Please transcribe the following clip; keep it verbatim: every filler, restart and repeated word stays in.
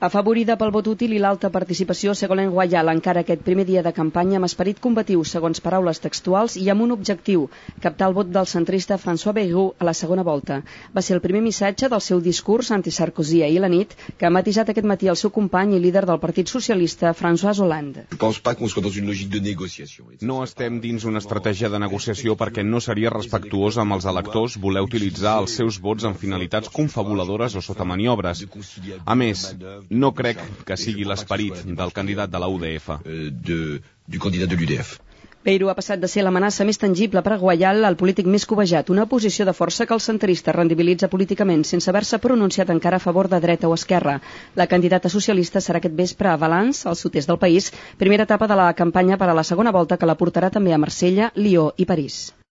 Afavorida pel vot útil i l'alta participació, Ségolène Royal encara aquest primer dia de campanya amb esperit combatiu, segons paraules textuals, i amb un objectiu, captar el vot del centrista François Bayrou a la segona volta. Va ser el primer missatge del seu discurs anti-Sarkozy ahir a la nit, que ha matisat aquest matí el seu company i líder del Partit Socialista, François Hollande. No estem dins una estratègia de negociació perquè no seria respectuós amb els electors voler utilitzar els seus vots en finalitats confabuladores o sota maniobres. A més, no crec que sigui l'esperit del candidat de la U D F. Bayrou ha passat de ser l'amenaça més tangible per a Royal al polític més cobejat, una posició de força que el centrista rendibilitza políticament sense haver-se pronunciat encara a favor de dreta o esquerra. La candidata socialista serà aquest vespre a Valence, al sud-est del país, primera etapa de la campanya per a la segona volta que la portarà també a Marsella, Lió i París.